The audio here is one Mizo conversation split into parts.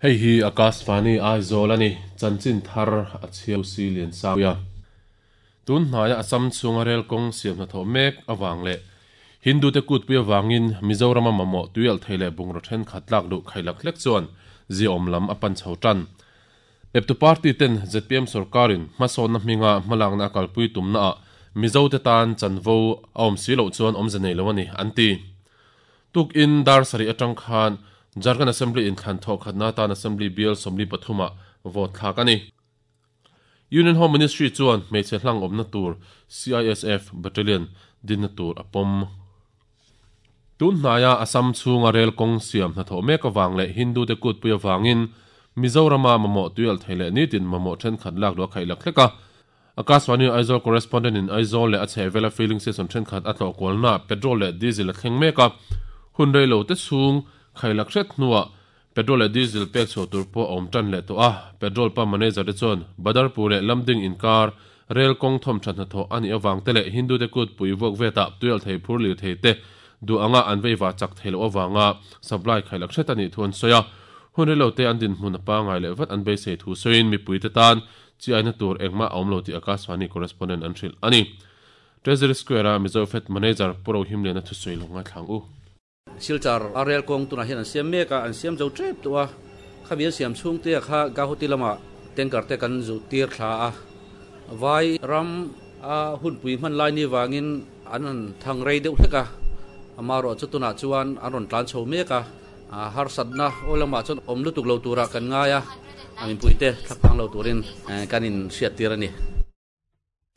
Hei hi Akashvani Aizawl a ni, chanchin thar a chhiau si lian sang a. Tun hnaia Assam chhunga rel kawng siam hnathawh mek avang leh Hindu te kutpui avangin Mizorama mamawh tuialh thei leh bungraw thenkhat tlak luh khailak hlek chuan ziaawm lam a pan chho tan. Eptu party ten zpm sorkarin hmasawnna hminga hmalakna a kalpui tumnaah Mizote tan chanvo a awm si loh chuan awmze nei lo a ni, an ti. Tukin dar sarih atang khan Jharkhand Assembly inthlan thawh khatna atan Assembly bial 43 ah vote thlak a ni. Union Home Ministry chuan hmeichhe hlang awmna tur CISF Battalion dinna tur a pawm. Tun hnaia Assam chhunga rel kawng siam hnathawh mek avang leh Hindu te kutpui avangin Mizorama mamawh tuialh thei leh nitin mamawh thenkhat lak luh a khaih lak hlek a. Akashvani Aizawl Correspondent in Aizawl leh a chhehvela filling station thenkhat a tlawh kualnaah petrol leh diesel a thleng mek a, hun rei lo te chhung khailak hret hnuah Petrol leh diesel pek chhuah tur pawh a awm tan leh tawh a, petrol pump manager te chuan Badarpur leh Lamding inkar rel kawng thawm tha hnathawh a nih avang te leh Hindu te kut pui vuak vetah tuialh thei phur lirthei te duh anga an veiva chak thei loh avanga supply khailak hret a nih thu an sawi a. Hun rei lo te an dinhmun a pangai leh vat an beisei thu sawiin mipui te tan chi aina tur engmah a awm lo tih Akashvani correspondent an hrilh a ni. Treasury Square-a Mizo Fed Manager Pu Rohimliana thusawi lo ngaithlang u. Silchar a rel kawng tunah hian an siam mek a, an siam zo tep tawh a, khami an siam chhungte ah kha Gauhati lamah tanker te kan zu tir thla a, vai ram a hunpui hman lai ni vangin an han thang rei deuh hlek a, amaherawh chu tunah chuan an rawn tlan chho mek a, harsatna aw lamah chuan awm lutuk lo turah kan ngai a, a mipuite thlaphang lo turin kan inhriat tir a ni.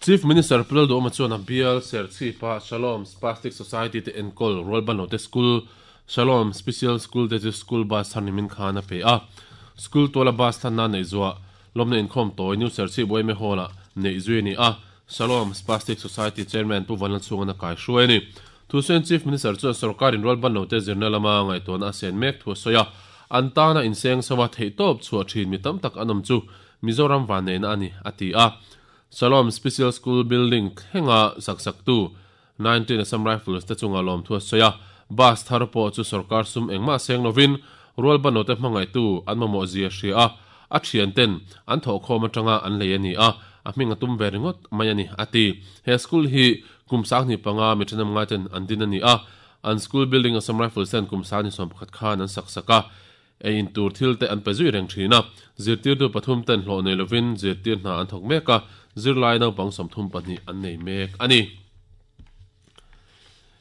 Chief Minister Pu Lalduhawma chuan a bial Serchhipa Shalom Spastic Society te enkawl Rualbanlote School, Shalom Special School te chu School Bus thar nimin khan a pe a. School tuala bus thlanna neih zuah lawmna inkhawm tawi New Serchhip yma Hall-ah neih zui a ni a, Shalom Spastic Society Chairman Pu Vanlalchhunga'n a kaihruai a ni. Thusawiin Chief Minister chuan sorkarin Rualbanlote zirna lama ngaihtuahna a sen mek thu a sawi a, an tana inseng so a theihtawp chhuah thin mi tam tak an awm chu Mizoram vanneihna a ni, a ti a. Shalom Special School building thlenga sak saktu 19 Assam Rifles te chunga lawmthu a sawi a, bus thar pawh chu sorkar sum engmah seng lovin rualbanote hmangaihtu an mamawh zia hria a, a thianten an thawhkhawm atanga an lei a ni a, a hming a tum ve ringawt mai a ni, a ti. He school hi kum 25 mi thenawm ngaiten an din a ni a, an school building Assam Rifles ten kum 21 khan an sak sak a, Ei in tur thil te an pe zui reng thin a, zirtirtu pathum ten hlawh nei lovin zirtir hna an thawk mek a, zirlai naupang 32 an nei mek a ni.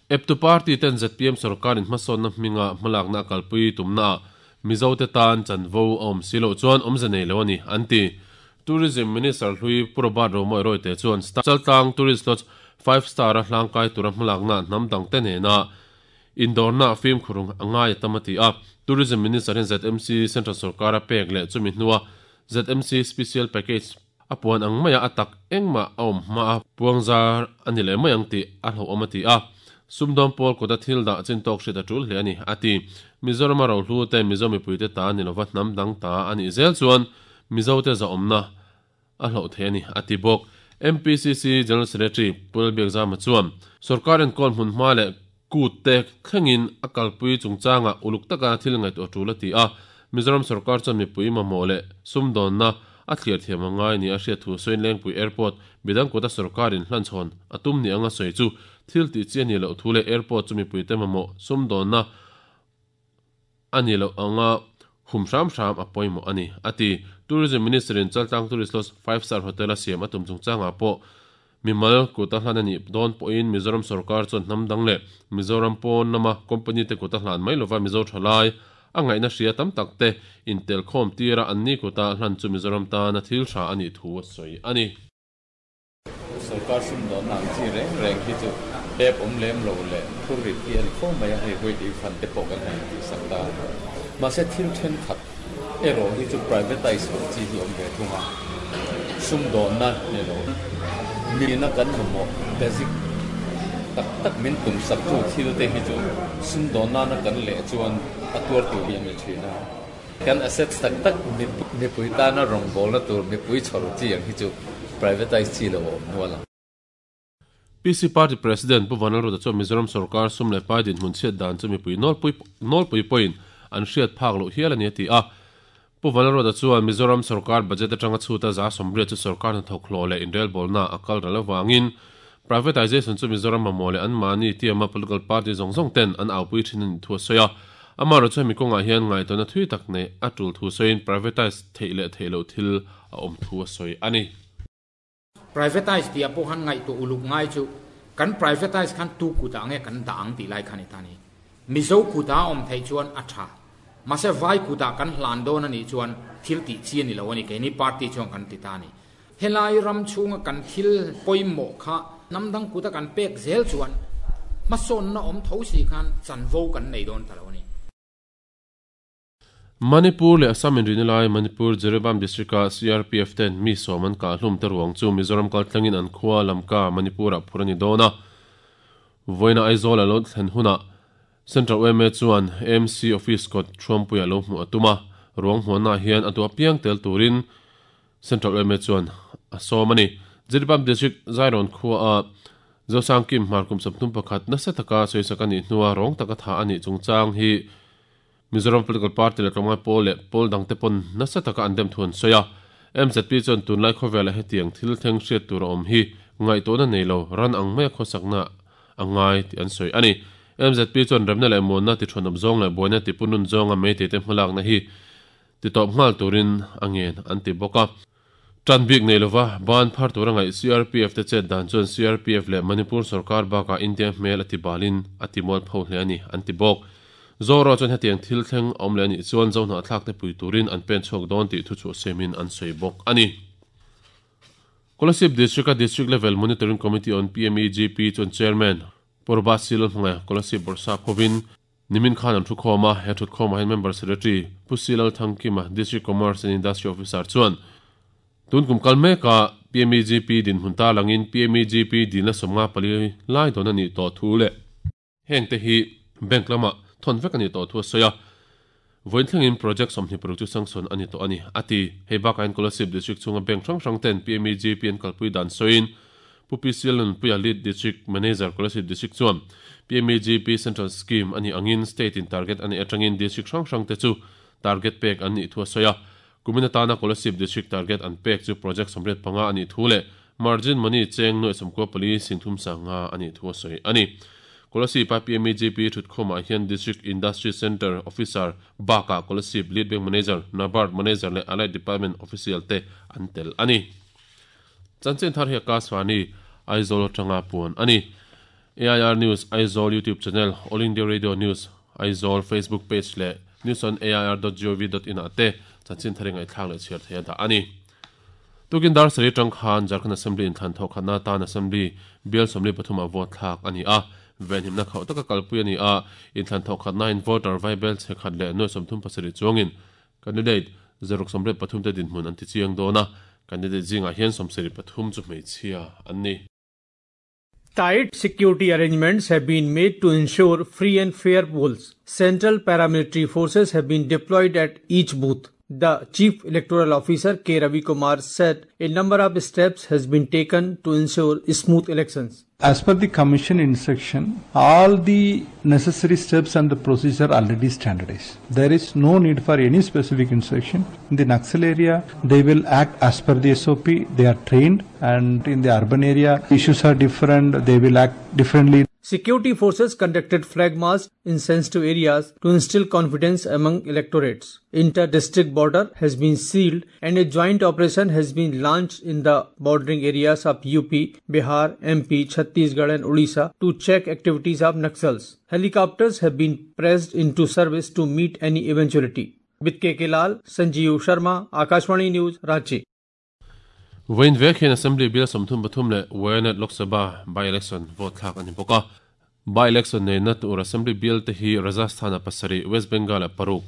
Eptu party ten zpm sorkarin hmasawnna hminga hmalakna a kalpui tumnaah Mizote tan chanvo a awm si loh chuan awmze nei lo a ni, an ti. Tourism Minister hlui Pu Robert Romawih Rawite chuan Chaltlang Tourist Lodge five star a hlangkai tura hmalakna hnam dangte nena Indawrna fimkhur a ngai a tam a ti a, Tourism Minister hian ZMC Central sorkar a pek leh chumi hnua ZMC Special Package a puan ang maia a tak engmah a awm hma a puangzar a ni leh mai ang tih a hlauhawm a ti a, sumdawm pawl kawta thil dah chin tawk hriat a tul hle a ni a ti. Mizorama rohlu te Mizo mipuite ta ni lova hnam dang ta a nih zel chuan Mizote zahawmna a hlauh thei a ni, a ti bawk. MPCC General Secretary Pu Lalbiakzama chuan sorkar enkawl hmun hma leh kut te thlengin a kalpui chungchangah uluk taka thil ngaihtuah tul a ti a, Mizoram sorkar chuan mipui mamawh leh sumdawnna a thliar thiam a ngai ni a hriat thu sawiin Lengpui Airport midang kuta sorkarin hlanchhawn a tum ni anga sawi chu thil tih chi a nih loh thu leh airport chu mipuite mamawh sumdawnna a ni loh anga hum hram hram a pawimawh a ni, a ti. Tourism Minister-in Chaltlang Tourist Lodge Five Star Hotel a siam a tum chungchangah pawh mimal kut a hlan a nih dawn pawhin Mizoram sorkar chuan hnam dang leh Mizoram pawn lama company te kut a hlan mai lova Mizo thalai a ngaihna hria tam tak te intelkhawm tira an ni kuta hlan chu Mizoram tana thil tha a nih thu a sawi a ni. Sorkar sumdawnna ang chi reng reng hi chu tep awm lem lo leh phur rit hi a ni fo mai a, hei huai tih fan te pawh kan han tih sak ta a. Mahse thil thenkhat erawh hi chu privatise loh chi hi awm ve thung a, sumdawnna ni lo nihna kan mamawh basic tak tak min tum sak tu thil te hi chu sumdawn nana kan leh chuan a tuar tur hi a ni thin a. Kan assets tak tak mipui tana rawngbawlna tur mipui chhawr chi ang hi chu privatise chi lo a awm nual ang. PC Party President Pu Vanlalruta chuan Mizoram sorkar sum leh pai dinhmun chhiat dan chu mipui nawlpui nawlpui pawhin an hriat phak loh hial a ni a ti a. Pu Vanlalruata chuan Mizoram sorkar budget atanga chhuta 80% chu sorkar hnathawk hlawh leh inrelbawlna a kal ral avangin privatisation chu Mizoram mamawh leh anmahni tiama political party zawng zawng ten an aupui thin a nih thu a sawi a. Amaherawhchu hemi kawngah hian ngaihtuahna thui tak neih a tul thu sawiin privatise theih leh theih loh thil a awm thu a sawi a ni. Privatise tih ah pawh khan ngaihtuah uluk ngai chu kan privatise khan tu kutah nge kan dah ang tih lai kha ni ta ni. Mizo kutah a awm theih chuan a tha. Mahse vai kutah kan hlan dawn a nih chuan thil tih chi a ni lo a ni keini party chuan kan ti ta a ni. Helai ram chhunga kan thil pawimawh kha hnam dang kuta kan pek zel chuan hmasawnna awm tho si khan chanvo kan nei dawn ta lo a ni. Manipur leh Assam inrihna lai Manipur Jiribam District-a CRPF ten mi sawm an kah hlum te ruang chu Mizoram kaltlangin an khua Lamka, Manipur-ah phur a ni dawn a. Vawiina Aizawl a lo thlen hunah Central yma chuan AMC Office kawt Thuampuiah lo hmuh a tum a, ruang hmuahnaah hian a duh apiang tel turin Central yma chuan a sawm a ni. Jiribam District Zairawn khuaa Zosangkim hmar kum 31 nasa taka sawisak a nih hnua rawng taka thah a nih chungchang hi Mizoram Political Party leh tlawmngai pawl leh pawl dangte pawn nasa taka an dem thu an sawi a. MZP chuan tunlai khawvelah hetiang thil thleng hriat tur a awm hi ngaihtuahna nei lo ran ang maia khawsakna a ngai tih an sawi a ni. MZP chuan remna leh muanna ti thuanawp zawng leh buaina ti punlun zawnga meiteite hmalakna hi ti tawp nghal turin a ngen an ti bawk a. Tan bik nei lova ban phar tura ngaih CRPF te chet dan chuan CRPF leh Manipur sorkar bakah India hmel a ti balin a ti mual pho hle a ni, an ti bawk. Zoro chuan hetiang thil thleng a awm leh a nih chuan Zohnahthlak te pui turin an pen chhuak dawn tih thuchhuah siamin an sawi bawk a ni. Kolasib District-a District Level Monitoring Committee on PMEGP chuan Chairman Purba Silal hmangaih Kolasib Bawrhsap hovin Nimin khan an thukhawm a, he thutkhawmah hian Member Secretary Pu Silal Thangkima, District Commerce and Industry Officer chuan tun kum kal meka PMEGP dinhmun tarlangin PMEGP dilna 54 lai dawn a nih tawh thu leh hengte hi bank lamah thawn vek a nih tawh thu a sawi a. Vawiin thlengin project 26 chu sanction a ni tawh a ni, a ti. Hei bakah hian Kolasib District chhunga bank hrang hrang ten PMEGP an kalpui dan sawiin Pu PC Lalnunpuia Lead District Manager Kolasib District chuan PMEGP Central Scheme a nih angin State in target a neih atangin District hrang hrang te chu target pek an nih thu a sawi a. Kumin atana Kolasib District target an pek chu project 85 a nih thu leh margin money cheng 94 35 a nih thu a sawi a ni. Kolasib a PMEGP thutkhawmah hian District Industry Centre Officer bakah Kolasib Lead Bank Manager, NABARD Manager leh Allied Department Official te an tel a ni. Chanchin thar hi Akashvani, Aizawl atanga puan a ni. AIR News Aizawl YouTube channel, All India Radio News Aizawl Facebook page leh newsonair.gov.in ah te chanchin thar i ngaihthlak leh chhiar thei a dah a ni. Tukin dar sarih atang khan Jharkhand Assembly inthlan thawh khatna atan Assembly bial 43 ah vote thlak a ni a, venhimna khauh taka kalpui a ni a, inthlan thawh khatnain voter vaibel chhe khat leh nuai 37 chuangin Candidate 683 te dinhmun an ti chiang dawn a, candidate zingah hian 73 chu hmeichhia an ni. Tight security arrangements have been made to ensure free and fair polls. Central paramilitary forces have been deployed at each booth. The Chief Electoral Officer K. Ravi Kumar said a number of steps has been taken to ensure smooth elections. As per the Commission instruction, all the necessary steps and the procedure already standardized. There is no need for any specific instruction. In the Naxal area, they will act as per the SOP. They are trained, and in the urban area, issues are different. They will act differently. Security forces conducted flag march in sensitive areas to instill confidence among electorates. Inter-district border has been sealed and a joint operation has been launched in the bordering areas of UP, Bihar, MP, Chhattisgarh and Odisha to check activities of Naxals. Helicopters have been pressed into service to meet any eventuality. With KK Lal, Sanjeev Sharma, Akashvani News, Ranchi. Vawiin vek hian Assembly Bill 33 leh Wayanad Lok Sabha by-election vote thlak a ni bawk a. By-election neihna tur Assembly Bill te hi Rajasthan-ah pasarih, West Bengal-ah paruk,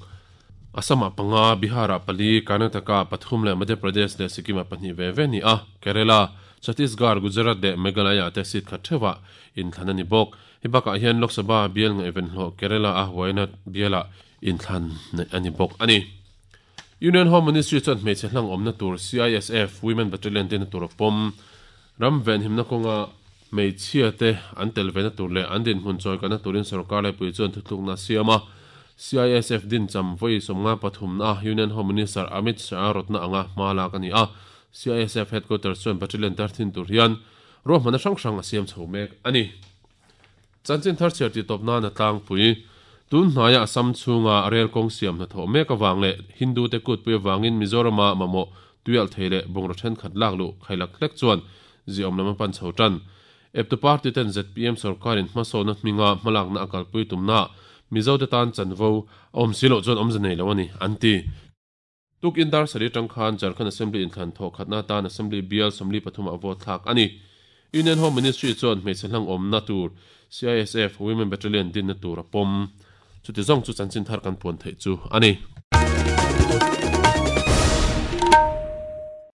Assam-ah panga, Bihar-ah pali, Karnataka-ah pathum leh Madhya Pradesh leh Sikkim-ah pahnih ve ve a ni a. Kerala, Chhattisgarh, Gujarat leh Meghalaya-ah te seat khat theuhah inthlan a ni bawk. Hei bakah hian Lok Sabha bial ngaihven hlawh Kerala-a Wayanad bialah inthlan neih a ni bawk a ni. Union Home Ministry chuan hmeichhe hlang awmna tur CISF Women Battalion te na tur a pawm. Ram venhimna kawnga hmeichhia te an tel vena tur leh an dinhmun chawi kalna turin sorkar laipui chuan thutlukna a siam a. CISF din cham vawi 53 na Union Home Minister Amit Shah rawtna anga hma lak a ni a. CISF Headquarters chuan battalion tar thin tur hian ruahmanna hrang hrang a siam chho mek a ni. Chanchin thar chhiar tih tawp nan a tlangpui. Tun hnaia Assam chhunga rel kawng siam hnathawh mek avang leh Hindu te kutpui avangin Mizorama mamawh tuialh thei leh bungraw thenkhat lak luh khailak hlek chuan ziawm lam a pan chho tan. Eptu party ten zpm sorkarin hmasawnna hminga hmalakna a kalpui tumna Mizo te tan chanvo a awm si loh chuan awmze nei lo a ni, an ti. Tukin dar sarih atang khan Jharkhand Assembly inthlan thawh khatna atan Assembly bial 43 ah vote thlak a ni. Union Home Ministry chuan hmeichhe hlang awmna tur CISF Women Battalion dinna tur a pawm. Chuti zawng chu chanchin thar kan puan theih chu a ni.